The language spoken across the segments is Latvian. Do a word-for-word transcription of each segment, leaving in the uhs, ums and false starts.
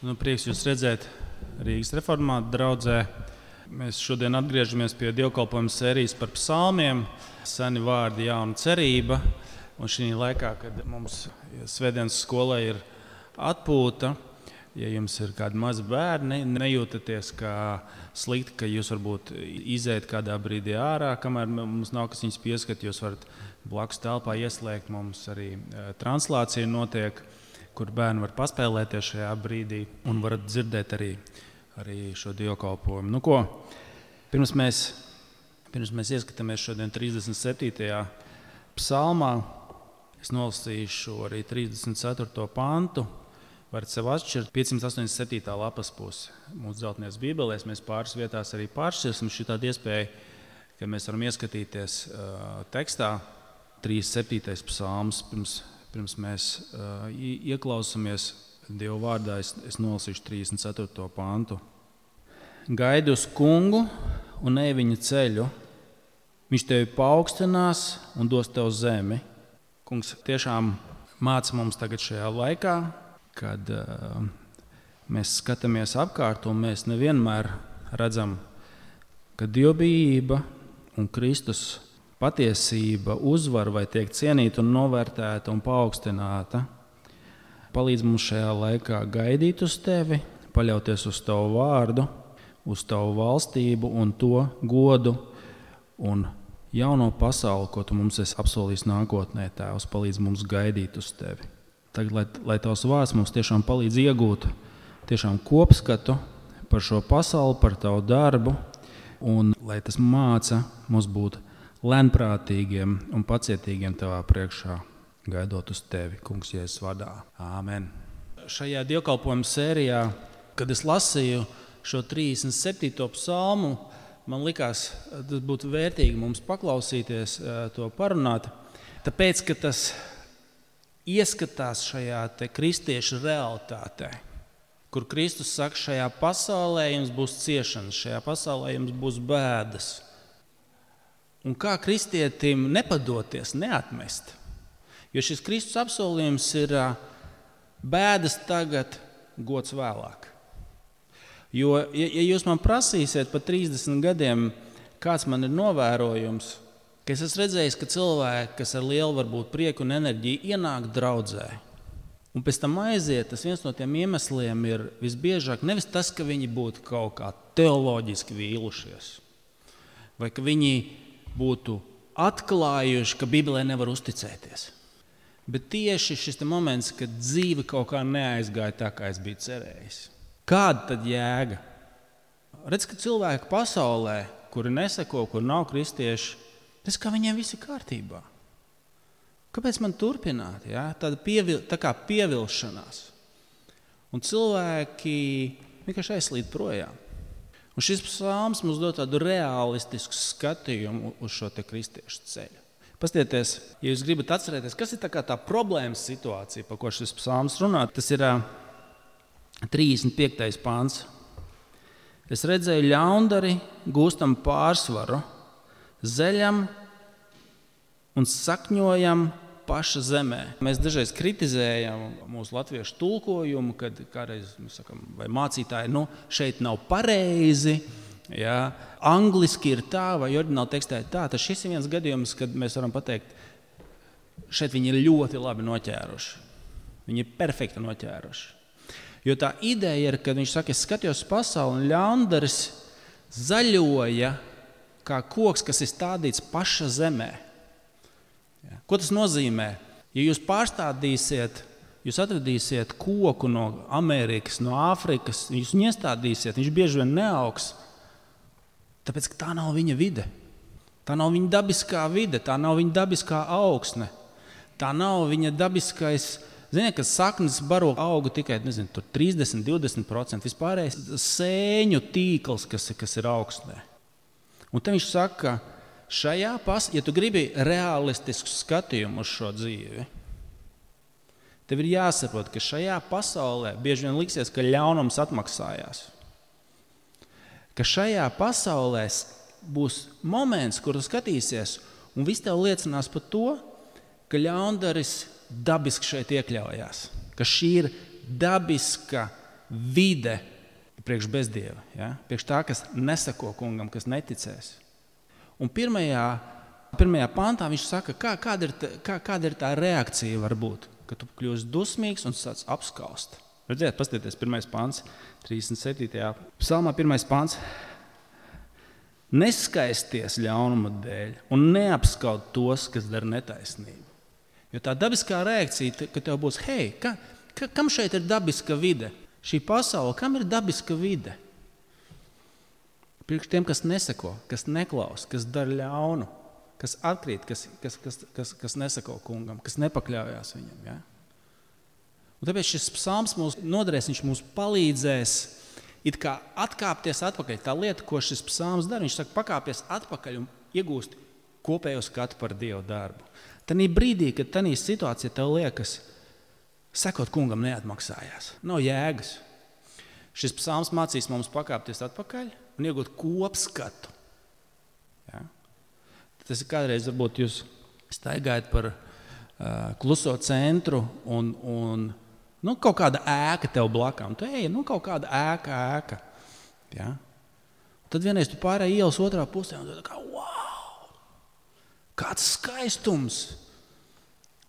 Nu, prieks jūs redzēt Rīgas reformātu draudzē. Mēs šodien atgriežamies pie dievkalpojuma sērijas par psalmiem. Seni vārdi, jauna cerība. Un šī laikā, kad mums svētdienas skolā ir atpūta, ja jums ir kādi mazi bērni, nejūtaties kā slikti, ka jūs varbūt iziet kādā brīdī ārā, kamēr mums nav kas viņus pieskat, jūs varat blakus telpā ieslēgt. Mums arī translācija notiek, kur bērni var paspēlēties šajā brīdī un varat dzirdēt arī, arī šo dievkalpojumu. Nu ko, pirms mēs, pirms mēs ieskatāmies šodien trīsdesmit septītajā psalmā, es nolasīšu arī trīsdesmit ceturto pantu. Varat sev atšķirt piecsimt astoņdesmit septītā lapas pusi. Mūsu dzeltenajās bībelēs mēs pāris vietās arī pāršķirsim šī tāda iespēja, ka mēs varam ieskatīties uh, tekstā trīsdesmit septītais psalms. Pirms, pirms mēs uh, ieklausāmies Dieva vārdā, es, es nolasīšu trīsdesmit ceturto pantu. Gaidi uz kungu un ej viņa ceļu. Viņš tevi paaugstinās un dos tev zemi. Kungs tiešām māca mums tagad šajā laikā, kad uh, mēs skatāmies apkārt un mēs nevienmēr redzam, ka dievbijība un Kristus patiesība uzvar vai tiek cienīta un novērtēta un paaugstināta. Palīdz mums šajā laikā gaidīt uz tevi, paļauties uz tavu vārdu, uz tavu valstību un to godu un jauno pasauli, ko tu mums esi apsolījis nākotnē, Tēvs, palīdz mums gaidīt uz tevi. Tagad, lai, lai tavs vārds mums tiešām palīdz iegūt tiešām kopskatu par šo pasauli, par tavu darbu, un lai tas māca mums būt lēnprātīgiem un pacietīgiem tavā priekšā, gaidot uz tevi, Kungs, Jēzus vārdā. Āmen. Šajā dievkalpojuma sērijā, kad es lasīju šo trīsdesmit septīto psalmu, man likās, tas būtu vērtīgi mums paklausīties, to parunāt, tāpēc, ka tas ieskatās šajā te kristiešu realitātē, kur Kristus saka, šajā pasaulē jums būs ciešanas, šajā pasaulē jums būs bēdas. Un kā kristietim nepadoties, neatmest? Jo šis Kristus apsolījums ir bēdas tagad, gods vēlāk. Jo, ja, ja jūs man prasīsiet par trīsdesmit gadiem, kāds man ir novērojums, ka es esmu redzējis, ka cilvēki, kas ar lielu varbūt prieku un enerģiju ienāk draudzē, un pēc tam aiziet, tas viens no tiem iemesliem ir visbiežāk nevis tas, ka viņi būtu kaut kā teoloģiski vīlušies, vai ka viņi būtu atklājuši, ka Bībelē nevar uzticēties. Bet tieši šis moments, kad dzīve kaut kā neaizgāja tā, kā es biju cerējis. Kāda tad jēga? Redz, ka cilvēki pasaulē, kuri neseko, kur nav kristieši, redz, ka viņiem viss ir kārtībā. Kāpēc man turpināt? Ja? Tāda pievil, tā kā pievilšanās. Un cilvēki vienkārši aizslīd projām. Un šis psalms mums dod tādu realistisku skatījumu uz šo te kristiešu ceļu. Pastieties, ja jūs gribat atcerēties, kas ir tā kā tā problēmas situācija, par ko šis psalms runā, tas ir trīsdesmit piektais pants. Es redzēju ļaundari gūstam pārsvaru, zeļam un sakņojam paša zemē. Mēs dažreiz kritizējam mūsu latviešu tulkojumu, kad kādreiz mēs sakam, vai mācītāji, nu, šeit nav pareizi, ja, angliski ir tā, vai oriģināli tekstā ir tā. Tas šis ir viens gadījums, kad mēs varam pateikt, šeit viņi ir ļoti labi noķēruši. Viņi ir perfekti noķēruši. Jo tā ideja ir, kad viņš saka, es skatījos pasauli un ļaundaris zaļoja kā koks, kas ir stādīts paša zemē. Ja. Ko tas nozīmē? Ja jūs pārstādīsiet, jūs atradīsiet koku no Amerikas, no Āfrikas, jūs viņu iestādīsiet, viņš bieži vien neaugs, tāpēc, ka tā nav viņa vide. Tā nav viņa dabiskā vide, tā nav viņa dabiskā augsne. Tā nav viņa dabiskais, ziniet, ka saknes baro augu tikai, nezinu, tur trīsdesmit līdz divdesmit procenti, vispārējais sēņu tīkls, kas, kas ir augsnē. Un te viņš saka, šajā pas, ja tu gribi realistisku skatījumu uz šo dzīvi, tev ir jāsaprot, ka šajā pasaulē bieži vien liksies, ka ļaunums atmaksājās. Ka šajā pasaulē būs moments, kur tu skatīsies, un viss tev liecinās par to, ka ļaundaris dabiski šeit iekļaujās. Ka šī ir dabiska vide priekš bezdieva, ja? Priekš tā, kas nesako kungam, kas neticēs. Un pirmajā, pirmajā pantā viņš saka, kā, kāda, ir tā, kā, kāda ir tā reakcija varbūt, ka tu kļūsi dusmīgs un sāc apskaust. Redziet, paskatieties, pirmais pants, trīsdesmit septītajā psalmā, pirmais pants. Neskaisties ļaunuma dēļ un neapskaut tos, kas dara netaisnību. Jo tā dabiskā reakcija, ka tev būs, hei, ka, ka, kam šeit ir dabiska vide? Šī pasaule, kam ir dabiska vide? Priekš tiem, kas neseko, kas neklaus, kas dara ļaunu, kas atkrīt, kas, kas, kas, kas, kas neseko kungam, kas nepakļaujās viņam. Ja? Un tāpēc šis psalms mūs noderēs, viņš mums palīdzēs it kā atkāpties atpakaļ. Tā lieta, ko šis psalms dara, viņš saka, pakāpies atpakaļ un iegūst kopējo skatu par Dievu darbu. Tanī brīdī, kad tanī situācija tev liekas, sekot kungam neatmaksājās. Nav jēgas. Šis psalms mācīs mums pakāpties atpakaļ un iegūt kopskatu. Ja? Tas ir kādreiz, varbūt jūs staigājat par uh, kluso centru un, un nu, kaut kāda ēka tev blakām. Tu ej, nu kaut kāda ēka, ēka. Ja? Tad vienreiz tu pārēji ielas otrā pusē un tu tā kā, wow, kāds skaistums.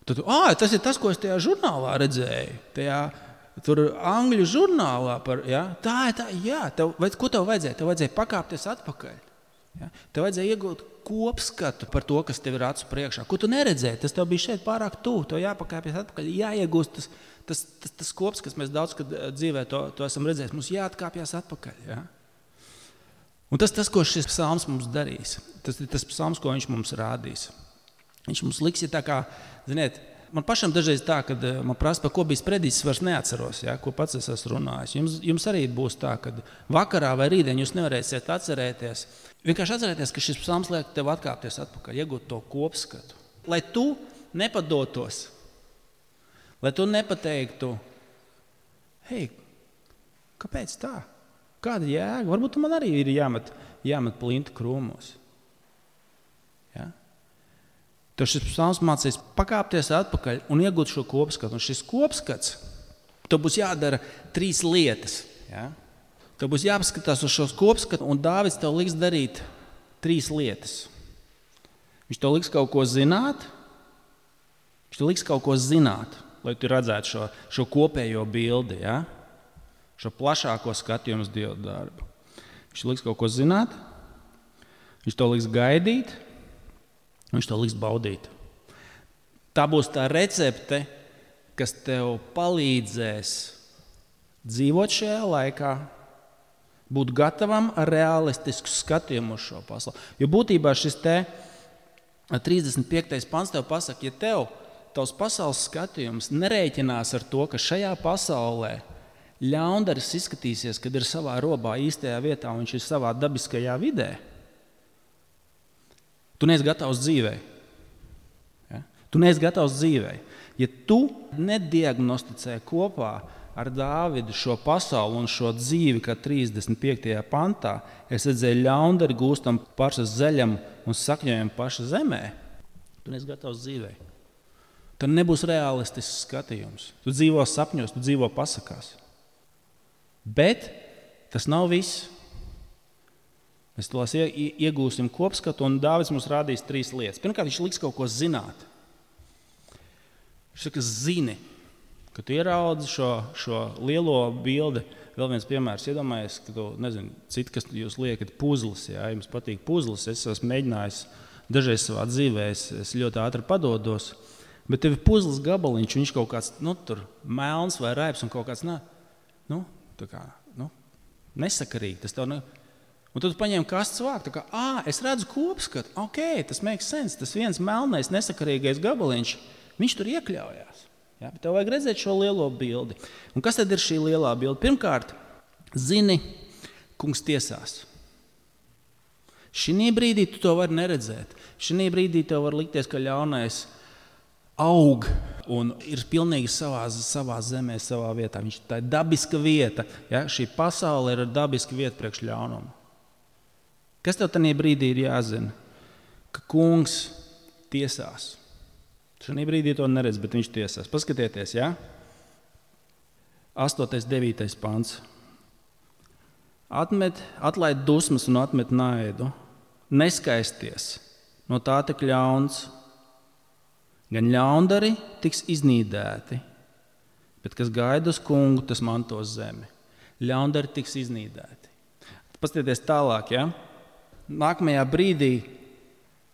Tad, ah, tas ir tas, ko es tajā žurnālā redzēju. Tajā, tur angļu žurnālā. Par, ja? Tā ir tā, jā. Tev, ko tev vajadzēja? Tev vajadzēja pakāpties atpakaļ. Ja? Tev vajadzēja iegūt kopskatu par to, kas tev ir acu priekšā. Ko tu neredzēji? Tas tev bija šeit pārāk tuvu. Tev jāpakāpjas atpakaļ. Jāiegūst tas, tas, tas, tas kops, kas mēs daudz kad dzīvē to, to esam redzējuši. Mums jāatkāpjas atpakaļ. Ja? Un tas tas, ko šis psalms mums darīs. Tas ir tas psalms, ko viņš mums rādīs. Viņš mums liks, ja tā kā, ziniet, man pašam dažreiz tā, kad man prasa, par ko bija sprediķis, vairs neatceros, ja, ko pats es esmu runājis. Jums, jums arī būs tā, kad vakarā vai rītdien jūs nevarēsiet atcerēties. Vienkārši atcerēties, ka šis psalms liek tev atkāpties atpakaļ, iegūt to kopskatu. Lai tu nepadotos, lai tu nepateiktu, hei, kāpēc tā? Kāda jēga? Varbūt man arī ir jāmet, jāmet plinti krūmos. Ja? Tev šis psalms mācīs pakāpties atpakaļ un iegūt šo kopskatu. Un šis kopskats, tev būs jādara trīs lietas. Ja? Tev būs jāpaskatās uz šo kopskatu, un Dāvids tev liks darīt trīs lietas. Viņš tev liks kaut ko zināt, viņš tev liks kaut ko zināt, lai tu redzētu šo, šo kopējo bildi, ja? Šo plašāko skatījumu uz Dieva darbu. Viņš liks kaut ko zināt, viņš tev liks gaidīt, viņš to liks baudīt. Tā būs tā recepte, kas tev palīdzēs dzīvot šajā laikā, būt gatavam ar realistisku skatījumu uz šo pasauli. Jo būtībā šis te trīsdesmit piektais pants tev pasaka, ja tev tavs pasaules skatījums nerēķinās ar to, ka šajā pasaulē ļaundaris izskatīsies, kad ir savā robā īstajā vietā un viņš ir savā dabiskajā vidē, tu neesi gatavs dzīvei. Ja? Tu neesi gatavs dzīvei. Ja tu nediagnosticē kopā ar Dāvidu šo pasauli un šo dzīvi, kā trīsdesmit piektajā pantā, es redzēju ļaundari gūstam paša zeļam un sakņojam paša zemē, tu neesi gatavs dzīvei. Tad nebūs realistisks skatījums. Tu dzīvo sapņos, tu dzīvo pasakās. Bet tas nav viss. Mēs tos iegūsim kopskatu, un Dāvids mums rādīs trīs lietas. Pirmkārt, viņš liks kaut ko zināt. Viņš saka, zini, ka tu ieraudzi šo, šo lielo bildi. Vēl viens piemērs, iedomājies, ka tu, nezinu, citi, kas jūs liekat puzles, ja jums patīk puzles, es esmu mēģinājis dažreiz savā dzīvē, es, es ļoti ātri padodos, bet tev ir puzles gabaliņš, viņš kaut kāds, nu, tur melns vai raips un kaut kāds, nā, nu, tā kā, nu, nesakarīgi, tas tev ne... Un tad tu paņem kastes vāku, tā kā, ā, es redzu kopskatu, ok, tas makes sense, tas viens melnais, nesakarīgais gabaliņš, viņš tur iekļaujās. Ja? Bet tev vajag redzēt šo lielo bildi. Un kas tad ir šī lielā bilde? Pirmkārt, zini, kungs tiesās. Šī brīdī tu to vari neredzēt. Šī brīdī tev var likties, ka ļaunais aug un ir pilnīgi savā, savā zemē, savā vietā. Viņš tā ir dabiska vieta. Ja? Šī pasaule ir dabiska vieta priekš ļaunumu. Kas tev tajā brīdī ir jāzina? Ka kungs tiesās. Šajā brīdī to neredz, bet viņš tiesās. Paskatieties, ja? astotais, devītais pants. Atmet, atlaid dusmas un atmet naidu. Neskaisties, no tā tek ļauns. Gan ļaundari tiks iznīdēti, bet kas gaida uz kungu, tas mantos zemi. Ļaundari tiks iznīdēti. Paskatieties tālāk, ja? Nākamajā brīdī,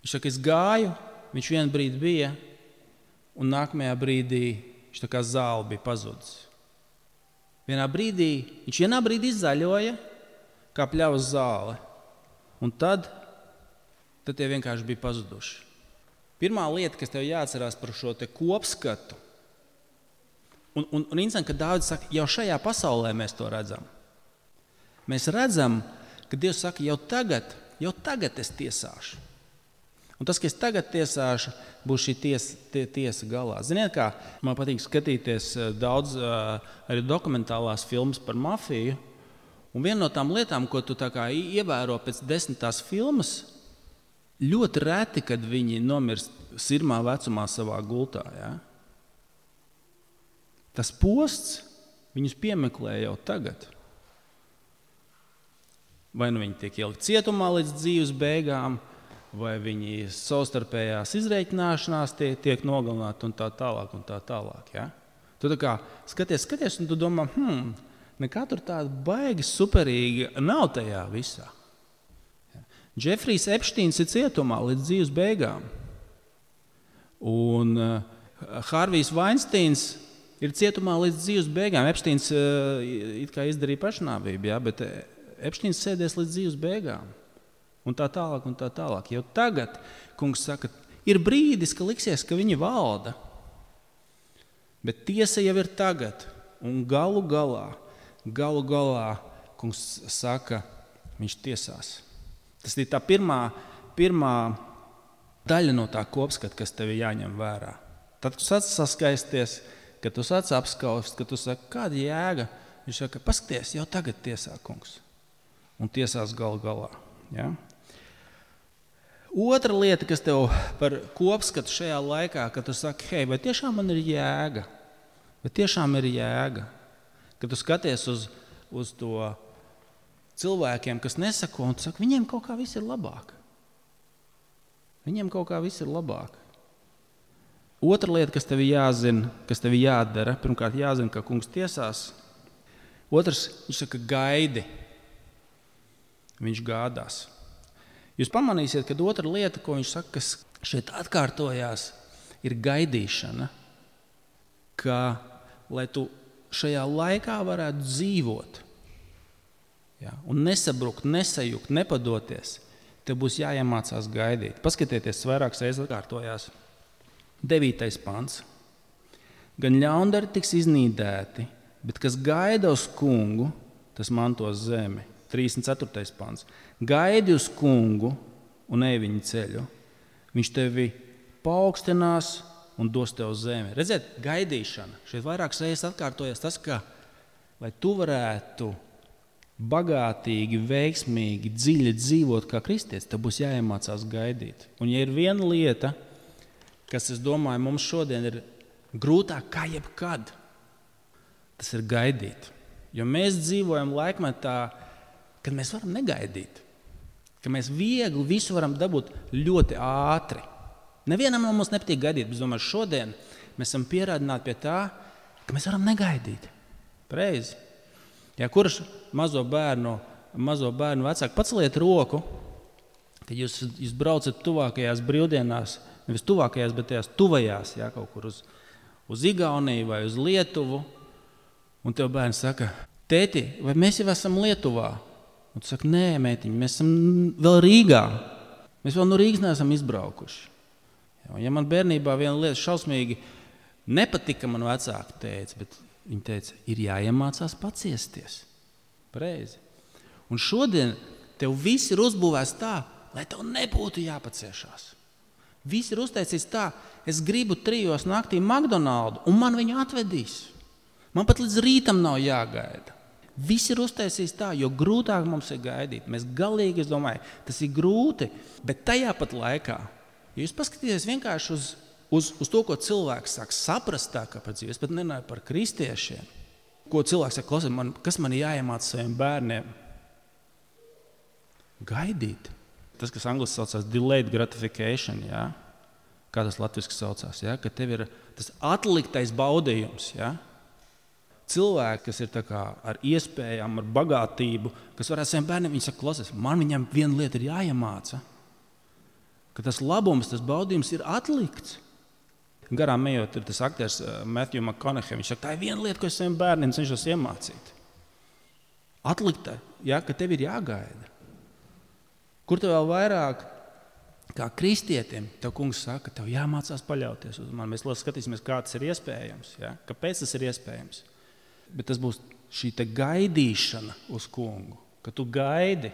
viņš saka, es gāju, viņš vienu brīdi bija, un nākamajā brīdī viņš tā kā zāle bija pazudis. Vienā brīdī, viņš vienā brīdī zaļoja, kā pļavas zāle, un tad, tad tie vienkārši bija pazuduši. Pirmā lieta, kas tev jāatcerās par šo te kopskatu, un, un, un interesanti, ka Dāvids saka, jau šajā pasaulē mēs to redzam. Mēs redzam, ka Dievs saka, jau tagad, jau tagad es tiesāšu. Un tas, ka es tagad tiesāšu, būs šī tiesa, tie, tiesa galā. Ziniet, kā man patīk skatīties daudz arī dokumentālās filmas par mafiju, un viena no tām lietām, ko tu tā kā ievēro pēc desmitās filmas, ļoti reti, kad viņi nomirst sirmā vecumā savā gultā. Ja? Tas posts viņus piemeklē jau tagad. Vai nu viņi tiek ielikt cietumā līdz dzīves beigām, vai viņi savstarpējās izreikināšanās tiek, tiek nogalināti un tā tālāk un tā tālāk. Ja? Tu tā kā skaties, skaties un tu domā, hmm, nekā tur tāda baigi superīga nav tajā visā. Džefrijs Epštīns ir cietumā līdz dzīves beigām. Un uh, Harvijs Vainsteins ir cietumā līdz dzīves beigām. Epštīns uh, it kā izdarīja pašnāvību, ja, bet Epštīns sēdēs līdz dzīves beigām. Un tā tālāk, un tā tālāk. Jau tagad, kungs saka, ir brīdis, ka liksies, ka viņi valda. Bet tiesa jau ir tagad. Un galu galā, galu galā, kungs saka, viņš tiesās. Tas ir tā pirmā, pirmā daļa no tā kopskata, kas tev jāņem vērā. Tad, kad tu sāc saskaisties, kad tu sāc apskaust, kad tu saki, kāda jēga, viņš saka, paskaties, jau tagad tiesā, kungs. Un tiesās galu galā. Ja? Otra lieta, kas tev par kopskatu šajā laikā, kad tu saki, hei, vai tiešām man ir jēga? Vai tiešām ir jēga? Kad tu skaties uz, uz to cilvēkiem, kas nesako, un tu saki, viņiem kaut kā viss ir labāk. Viņiem kaut kā viss ir labāk. Otra lieta, kas tev jāzina, kas tev jādara, pirmkārt jāzina, ka kungs tiesās. Otrs, viņš saka, gaidi. Viņš gādās. Jūs pamanīsiet, ka otra lieta, ko viņš saka, kas šeit atkārtojās, ir gaidīšana. Ka, lai tu šajā laikā varētu dzīvot, ja, un nesabrukt, nesajukt, nepadoties, tev būs jāiemācās gaidīt. Paskatieties, vairākas reizes atkārtojās. Devītais pants. Gan ļaundari tiks iznīdēti, bet kas gaida uz kungu, tas mantos zemi. trīsdesmit ceturtais pants. Gaidi uz kungu un ej viņa ceļu. Viņš tevi paaugstinās un dos tev zemi. Redziet, gaidīšana. Šeit vairākas reizes atkārtojas tas, ka, lai tu varētu bagātīgi, veiksmīgi, dziļi dzīvot kā kristietis, tev būs jāiemācās gaidīt. Un ja ir viena lieta, kas, es domāju, mums šodien ir grūtāk kā jebkad, tas ir gaidīt. Jo mēs dzīvojam laikmetā, kad mēs varam negaidīt. Ka mēs viegli visu varam dabūt ļoti ātri. Nevienam no mums nepatīk gaidīt, bet es domāju, šodien mēs esam pierādināti pie tā, ka mēs varam negaidīt. Pareizi. Ja kurš mazo bērnu, mazo bērnu vecāku paceliet roku, kad jūs, jūs braucat tuvākajās brīvdienās, nevis tuvākajās, bet tajās tuvajās, ja, kaut kur uz, uz Igauniju vai uz Lietuvu, un tev bērns saka, tēti, vai mēs jau esam Lietuvā? Un tu saki, nē, mētiņ, mēs esam vēl Rīgā. Mēs vēl no Rīgas neesam izbraukuši. Ja man bērnībā viena lieta šausmīgi nepatika, man vecāki teica, bet viņi teica, ir jāiemācās paciesties. Pareizi. Un šodien tev viss ir uzbūvēts tā, lai tev nebūtu jāpaciešās. Viss ir uztaisīts tā, es gribu trijos naktī McDonaldu, un man viņu atvedīs. Man pat līdz rītam nav jāgaida. Viss ir uztaisīts tā, jo grūtāk mums ir gaidīt. Mēs galīgi, es domāju, tas ir grūti, bet tajā pat laikā, ja jūs paskatieties vienkārši uz, uz, uz to, ko cilvēks sāk saprast tā, kā par dzīvi, es pat nenāju par kristiešiem, Ko cilvēks saka, klausies, man, kas man jāiemāca saviem bērniem? Gaidīt. Tas, kas angliski saucās delayed gratification, jā? Kā tas latviski saucās, jā? Ka tev ir tas atliktais baudījums. Jā? Cilvēki, kas ir tā kā ar iespējām, ar bagātību, kas varētu saviem bērniem, viņi saka, klausies, man viņam viena lieta ir jāiemāca, ka tas labums, tas baudījums ir atlikts. Garām ejot, ir tas aktieris Matthew McConaughey, viņš saka, tā ir viena lieta, ko es saviem bērniem cenšos iemācīt. Atlikta, jā, ka tev ir jāgaida. Kur tev vēl vairāk, kā kristietim, tev kungs saka, tev jāmācās paļauties uz mani. Mēs skatīsimies, kā tas ir iespējams, jā? Kāpēc tas ir iespējams. Bet tas būs šī te gaidīšana uz kungu, ka tu gaidi,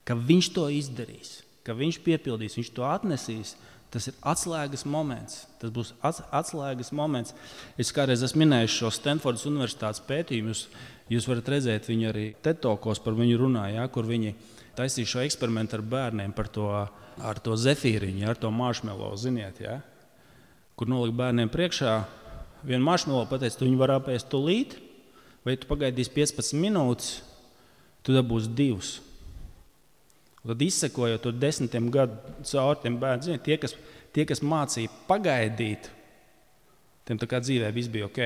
ka viņš to izdarīs, ka viņš piepildīs, viņš to atnesīs. Tas ir atslēgas moments. Tas būs atslēgas moments. Es kādreiz esmu minējis šo Stanfordas universitātes pētījumu. Jūs, jūs varat redzēt viņu arī TED Talkos par viņu runā, ja, kur viņi taisīja šo eksperimentu ar bērniem par to, ar to zefīriņu, ar to marshmallow, ziniet, ja, kur nolika bērniem priekšā vienu marshmallow, pateica, tu viņu var apēst tūlīt, vai tu pagaidīsi piecpadsmit minūtes, tu dabūsi divus. Un tad izsekojot to desmitiem gadu caur tiem bērniem, tie, kas, tie, kas mācīja pagaidīt, tiem tā kā dzīvē viss bija ok.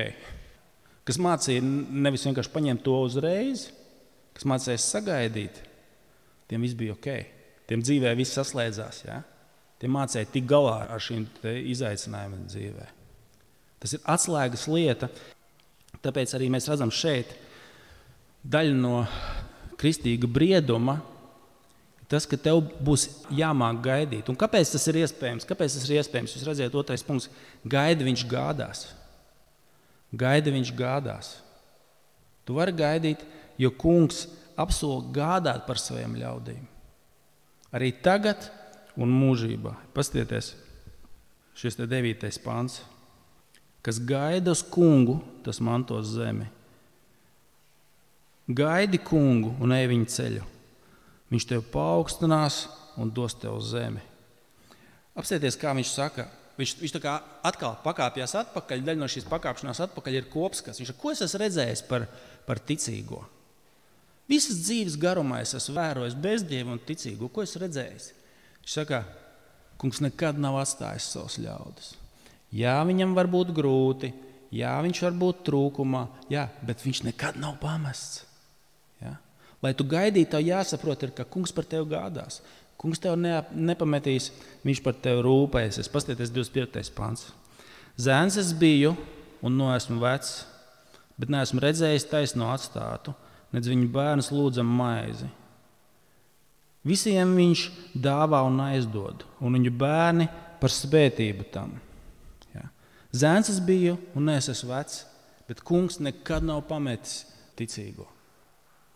Kas mācīja nevis vienkārši paņemt to uzreiz, kas mācīja sagaidīt, tiem viss bija ok. Tiem dzīvē viss saslēdzās. Ja? Tiem mācīja tik galā ar šīm izaicinājumiem dzīvē. Tas ir atslēgas lieta, tāpēc arī mēs redzam šeit daļu no kristīga brieduma, tas, ka tev būs jāmāk gaidīt. Un kāpēc tas ir iespējams? Kāpēc tas ir iespējams? Jūs redzēt, otrais punkts. Gaida viņš gādās. Gaida viņš gādās. Tu vari gaidīt, jo kungs apsola gādāt par saviem ļaudīm. Arī tagad un mūžībā. Paskatieties, šis te devītais pants. Kas gaida uz kungu, tas mantos zemi. Gaidi kungu un ej viņa ceļu. Viņš tev paaugstinās un dos tev zemi. Apstāties, kā viņš saka. Viņš, viņš tā kā atkal pakāpjās atpakaļ. Daļa no šīs pakāpšanās atpakaļ ir kopskats. Viņš saka, ko es esmu redzējis par, par ticīgo? Visas dzīves garumā es esmu vērojis bezdievu un ticīgo. Ko es redzējis? Viņš saka, kungs nekad nav atstājis savus ļaudis. Jā, viņam var būt grūti. Jā, viņš var būt trūkumā. Jā, bet viņš nekad nav pamests. Jā. Lai tu gaidītu, tev jāsaprot, ir, ka kungs par tevi gādās. Kungs tev ne, nepametīs, viņš par tevi rūpēsies. Paskatieties divdesmit piektais pants. Zēns es biju un no esmu vecs, bet neesmu redzējis taisno atstātu, nedz viņu bērns lūdzam maizi. Visiem viņš dāvā un aizdod, un viņu bērni par svētību tam. Jā. Zēns es biju un es esmu vecs, bet kungs nekad nav pametis ticīgo.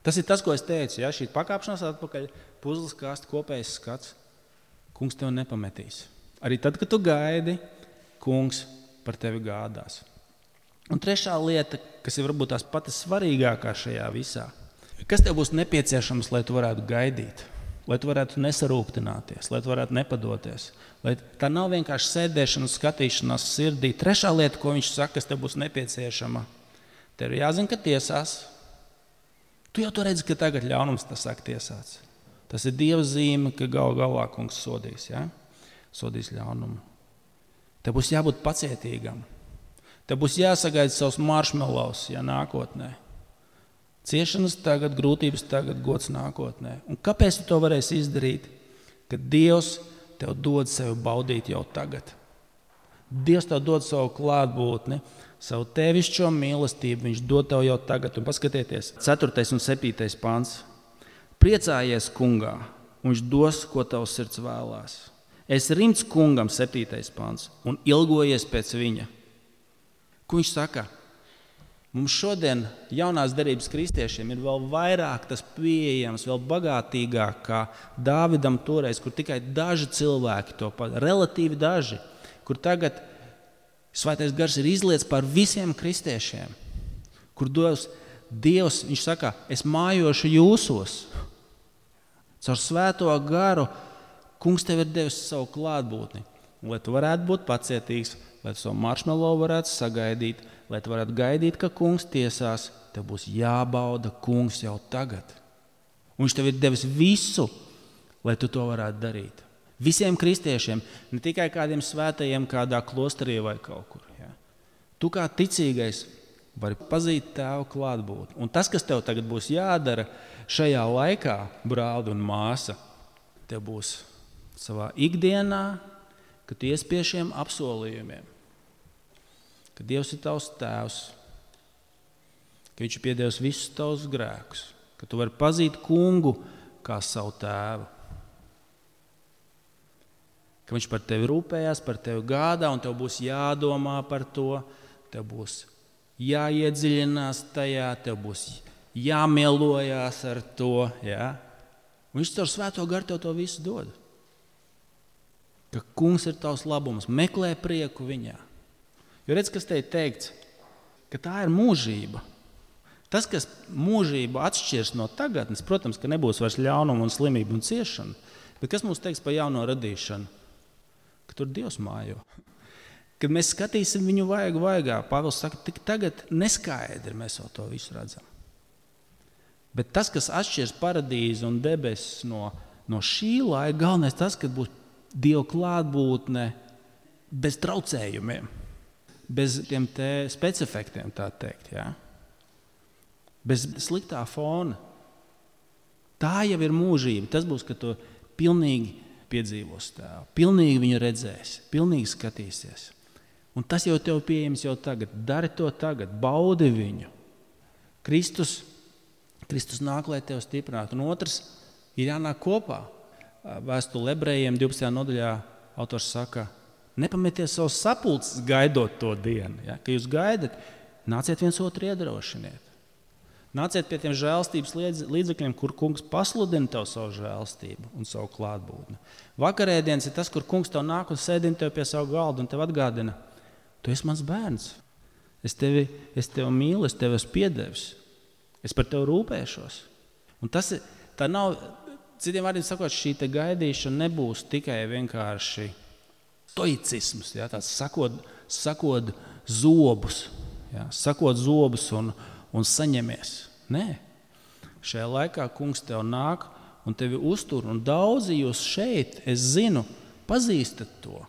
Tas ir tas, ko es teicu, ja, šī pakāpšanās atpakaļ, puzles kāst, kopējs skats. Kungs tev nepametīs. Arī tad, kad tu gaidi, kungs par tevi gādās. Un trešā lieta, kas ir varbūt tās pati svarīgākā šajā visā. Kas tev būs nepieciešams, lai tu varētu gaidīt? Lai tu varētu nesarūktināties, lai tu varētu nepadoties. Lai tā nav vienkārši sēdēšana, skatīšanās sirdī. Trešā lieta, ko viņš saka, kas tev būs nepieciešama. Tev ir jāzina, ka tiesās. Tu jau to redzi, ka tagad ļaunums tas sāk tiesāts. Tas ir Dieva zīme, ka gal galā kungs sodīs, ja? Sodīs ļaunumu. Tev būs jābūt pacietīgam. Tev būs jāsagaida savus marshmallows, ja nākotnē. Ciešanas tagad, grūtības tagad, gods nākotnē. Un kāpēc tu to varēsi izdarīt? Kad Dievs tev dod sevi baudīt jau tagad. Dievs tev dod savu klātbūtni, savu tevišķo mīlestību, viņš dod tev jau tagad. Un paskatieties, ceturtais un septītais pants. Priecājies kungā, un viņš dos, ko tavs sirds vēlās. Es rimts kungam, septītais pants, un ilgojies pēc viņa. Ko viņš saka? Mums šodien jaunās derības kristiešiem ir vēl vairāk tas pieejams, vēl bagātīgāk kā Dāvidam toreiz, kur tikai daži cilvēki to pat, relatīvi daži, kur tagad Svētais gars ir izliets par visiem kristiešiem, kur Dievs, Dievs, viņš saka, es mājošu jūsos. Caur Svēto garu kungs tev ir devis savu klātbūtni, lai tu varētu būt pacietīgs, lai tu savu marshmallow varētu sagaidīt, lai tu varētu gaidīt, ka kungs tiesās, tev būs jābauda kungs jau tagad. Un viņš tev ir devis visu, lai tu to varētu darīt. Visiem kristiešiem, ne tikai kādiem svētajiem kādā klosterī vai kaut kur. Ja? Tu kā ticīgais vari pazīt Tēvu klātbūtni. Un tas, kas tev tagad būs jādara šajā laikā, brāli un māsa, tev būs savā ikdienā, kad tu ies pie šiem apsolījumiem, ka Dievs ir tavs tēvs, ka viņš ir piedevis visus tavus grēkus, ka tu vari pazīt kungu kā savu tēvu, ka viņš par tevi rūpējās, par tevi gādā, un tev būs jādomā par to, tev būs jāiedziļinās tajā, tev būs jāmielojās ar to. Ja? Un viņš caur Svēto garu tev to visu dod. Ka kungs ir tavs labums, meklē prieku viņā. Jo redz, kas te ir teikts, ka tā ir mūžība. Tas, kas mūžību atšķirs no tagadnes, protams, ka nebūs vairs ļaunuma un slimība un ciešana, bet kas mums teiks par jauno radīšanu? Ka tur Dievs mājo. Kad mēs skatīsim viņu vaigu vaigā, Pāvils saka, tik tagad neskaidri mēs vēl to visu redzam. Bet tas, kas atšķirs paradīzi un debesis no, no šī laika, galvenais tas, ka būs Dieva klātbūtne bez traucējumiem, bez tiem te specifektiem, tā teikt, ja? Bez sliktā fona. Tā jau ir mūžība. Tas būs, ka tu pilnīgi piedzīvos Tēvu, pilnīgi viņu redzēsi, pilnīgi skatīsies. Un tas jau tev pieejams jau tagad. Dari to tagad, baudi viņu. Kristus, Kristus nāk, lai tev stiprinātu. Un otrs ir jānāk kopā. Vēstule Ebrejiem divpadsmitajā nodaļā autors saka, nepametiet savus sapulces gaidot to dienu. Ja? Ka jūs gaidat, nāciet viens otru iedrošiniet. Nāciet pie tiem žēlstības līdzekļiem, kur kungs pasludina tev savu žēlstību un savu klātbūtni. Vakarēdienas ir tas, kur kungs tev nāk un sēdina tev pie savu galdu un tev atgādina, tu esi mans bērns, es tevi, es tevi mīlu, es tevi esmu piedevis, es par tevi rūpēšos. Un tas ir, tā nav, citiem vārdiem sakot, šī te gaidīšana nebūs tikai vienkārši stoicisms, ja, tāds sakot, sakot zobus, ja, sakot zobus un un saņemies. Nē. Šajā laikā kungs tev nāk un tevi uztur, un daudzi jūs šeit, es zinu, pazīstat to,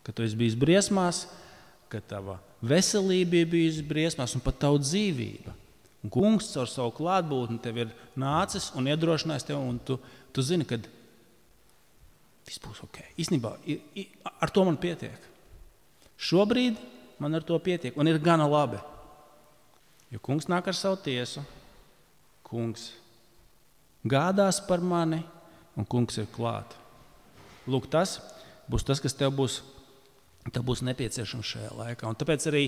ka tu esi bijis briesmās, ka tava veselība ir bijusi briesmās un pat tava dzīvība. Un kungs caur savu klātbūtni tev ir nācis un iedrošinājis tev, un tu, tu zini, ka viss būs ok. Īstenībā ar to man pietiek. Šobrīd man ar to pietiek un ir gana labi. Jo kungs nāk ar savu tiesu, kungs gādās par mani un kungs ir klāt. Lūk, tas būs tas, kas tev būs, tev būs nepieciešams šajā laikā. Un tāpēc arī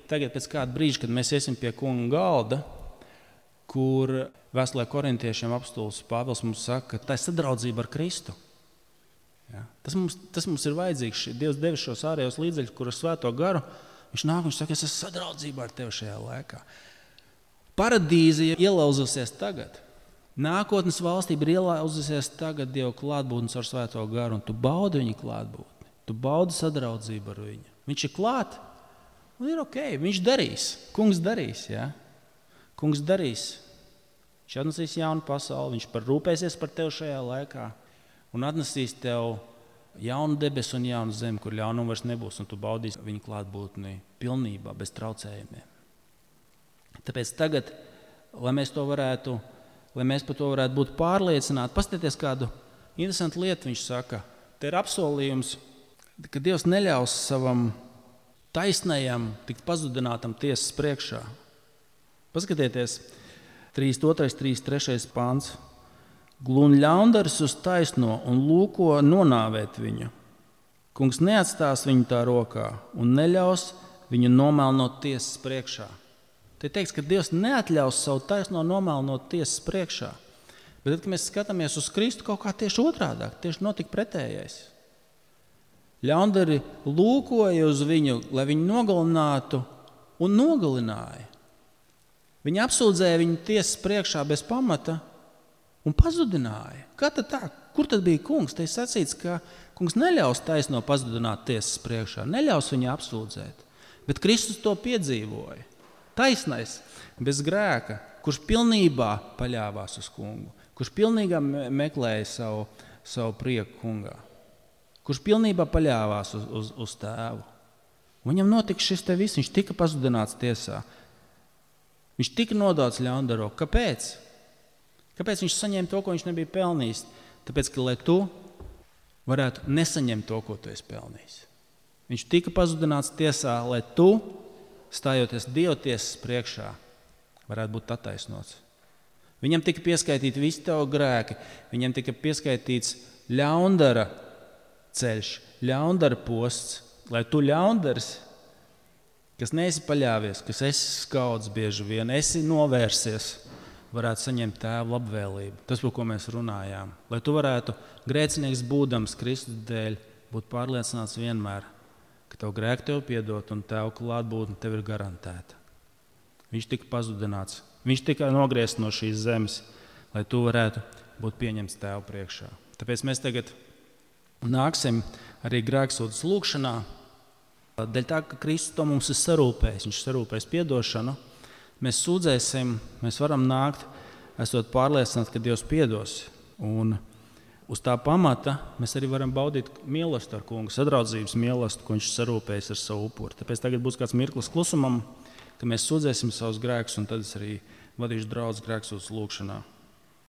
tagad pēc kāda brīža, kad mēs iesim pie kunga galda, kur vēstulē korintiešiem apostols Pāvils mums saka, ka tā ir sadraudzība ar Kristu. Ja? Tas, mums, tas mums ir vajadzīgs. Dievs devis šos ārējos līdzekļus, kur ar Svēto garu, viņš nāk un viņš saka, es esmu sadraudzībā ar tevi šajā laikā. Paradīze ir ielauzusies tagad. Nākotnes valstība ir ielauzusies tagad Dieva klātbūtnes ar Svēto garu, un tu baudi viņa klātbūtni. Tu baudi sadraudzību ar viņu. Viņš ir klāt, un ir ok, viņš darīs. Kungs darīs, ja? Kungs darīs. Viņš atnesīs jaunu pasauli, viņš par rūpēsies par tevi šajā laikā, un atnesīs tev jaunu debesu un jaunu zemi, kur ļaunuma vairs nebūs, un tu baudīsi viņa klātbūtni pilnībā, bez traucējumiem. Tāpēc tagad, lai mēs, to varētu, lai mēs par to varētu būt pārliecināti, paskatieties kādu interesantu lietu, viņš saka, te ir apsolījums, ka Dievs neļaus savam taisnajam tikt pazudinātam tiesas priekšā. Paskatieties, trīsdesmit otrais, trīsdesmit trešais pāns. Glūn ļaundaris uz taisno un lūko nonāvēt viņu. Kungs neatstās viņu tā rokā un neļaus viņu nomēlnot tiesas priekšā. Te teiks, ka Dievs neatļaus savu taisno nomēlnot tiesas priekšā. Bet tad, kad mēs skatāmies uz Kristu, kaut kā tieši otrādāk, tieši notika pretējais. Ļaundari lūkoja uz viņu, lai viņu nogalinātu, un nogalināja. Viņi apsūdzēja viņu tiesas priekšā bez pamata un pazudināja. Kā tad tā? Kur tad bija kungs? Te ir sacīts, ka kungs neļaus taisno pazudināt tiesas priekšā, neļaus viņu apsūdzēt. Bet Kristus to piedzīvoja. Taisnais, bez grēka, kurš pilnībā paļāvās uz kungu, kurš pilnībā meklēja savu, savu prieku kungā, kurš pilnībā paļāvās uz, uz, uz tēvu. Viņam notika šis te viss, viņš tika pazudināts tiesā. Viņš tika nodots ļaundaro. Kāpēc? Kāpēc viņš saņēma to, ko viņš nebija pelnījis? Tāpēc, ka lai tu varētu nesaņemt to, ko tu esi pelnījis. Viņš tika pazudināts tiesā, lai tu, stājoties Dieva tiesas priekšā, varētu būt attaisnots. Viņam tika pieskaitīti visi tavi grēki, viņam tika pieskaitīts ļaundara ceļš, ļaundara posts, lai tu ļaundaris, kas neesi paļāvies, kas esi skauds bieži vien, esi novērsies, varētu saņemt tēva labvēlību. Tas, par ko mēs runājām. Lai tu varētu grēcinieks būdams Kristus dēļ, būt pārliecināts vienmēr, ka tavu grēku tev piedot un tavu klātbūtne tev ir garantēta. Viņš tika pazudināts, viņš tika nogriezts no šīs zemes, lai tu varētu būt pieņemts tēva priekšā. Tāpēc mēs tagad nāksim arī grēksūdzes lūgšanā. Dēļ tā, ka Kristus to mums ir sarūpējis, viņš sarūpējis piedošanu, mēs sūdzēsim, mēs varam nākt, esot pārliecināti, ka Dievs piedos. Un uz tā pamata mēs arī varam baudīt mīlestību ar kungu, sadraudzības mīlestību, ko viņš sarūpējis ar savu upuri. Tāpēc tagad būs kāds mirklis klusumam, ka mēs sūdzēsim savus grēkus, un tad es arī vadīšu draudz grēksūdzes lūgšanā.